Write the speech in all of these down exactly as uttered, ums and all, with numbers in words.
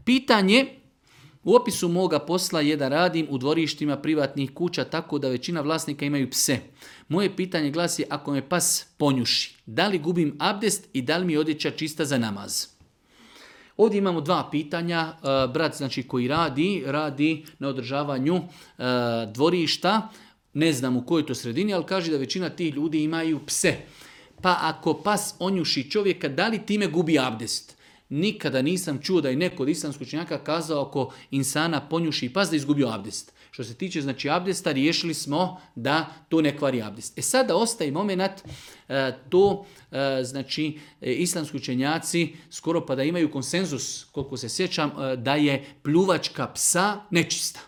Pitanje, u opisu moga posla je da radim u dvorištima privatnih kuća tako da većina vlasnika imaju pse. Moje pitanje glasi, ako me pas ponjuši, da li gubim abdest i da li mi je odjeća čista za namaz? Ovdje imamo dva pitanja. Brat znači, koji radi, radi na održavanju dvorišta, ne znam u kojoj to sredini, ali kaže da većina tih ljudi imaju pse. Pa ako pas onjuši čovjeka, da li time gubi abdest? Nikada nisam čuo da je neko od islamskih učenjaka kazao ako insana ponjuši pas da izgubio abdest. Što se tiče znači abdesta, riješili smo da to ne kvari abdest. E sada ostaje moment, e, to e, znači e, islamski učenjaci skoro pa da imaju konsenzus, koliko se sjećam, e, da je pljuvačka psa nečista.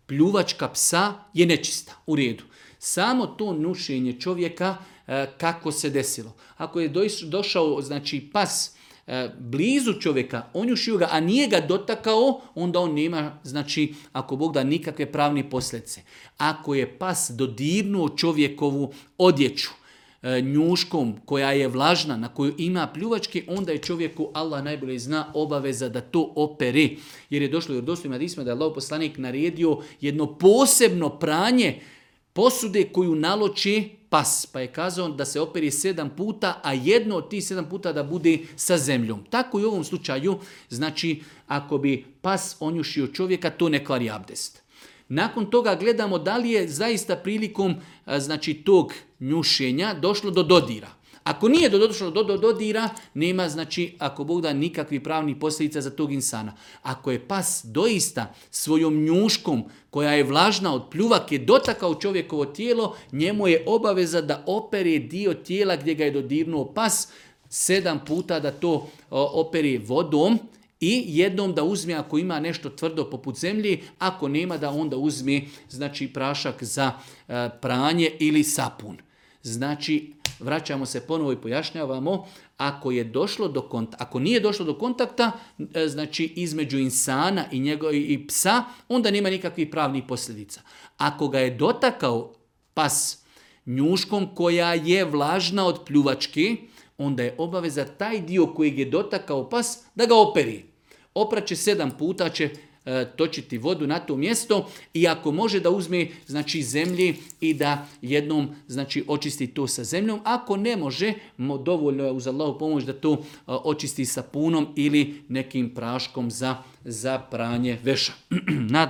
Pljuvačka psa je nečista, u redu. Samo to nušenje čovjeka e, kako se desilo. Ako je došao znači pas blizu čovjeka, onjušio ga, a nije ga dotakao, onda on nema, znači, ako Bog da, nikakve pravne posljedice. Ako je pas dodirnuo čovjekovu odjeću njuškom koja je vlažna, na koju ima pljuvačke, onda je čovjeku, Allah najbolje zna, obaveza da to opere. Jer je došlo od dostojima hadisma da je Allahov poslanik naredio jedno posebno pranje posude koju naloči pas, pa je kazao da se operi sedam puta, a jedno od tih sedam puta da bude sa zemljom. Tako i u ovom slučaju, znači, ako bi pas onjušio čovjeka, to ne kvari abdest. Nakon toga gledamo da li je zaista prilikom znači, tog njušenja došlo do dodira. Ako nije došlo do, do dodira, nema, znači, ako Bog da, nikakvih pravnih posljedica za tog insana. Ako je pas doista svojom njuškom, koja je vlažna od pljuvake, dotakao čovjekovo tijelo, njemu je obaveza da opere dio tijela gdje ga je dodirnuo pas, sedam puta da to opere vodom i jednom da uzme ako ima nešto tvrdo poput zemlji, ako nema da onda uzme znači, prašak za pranje ili sapun. Znači, vraćamo se ponovo i pojašnjavamo, ako je došlo do kontakta, ako nije došlo do kontakta, znači između insana i njegov i psa, onda nema nikakvih pravnih posljedica. Ako ga je dotakao pas njuškom koja je vlažna od pljuvačke, onda je obaveza taj dio kojeg je dotakao pas da ga operi. Opraće sedam puta će točiti vodu na to mjesto i ako može da uzme znači zemlji i da jednom znači očisti to sa zemljom, ako ne može, dovoljno je uz Allahu pomoć da to očisti sapunom ili nekim praškom za, za pranje veša. Nadam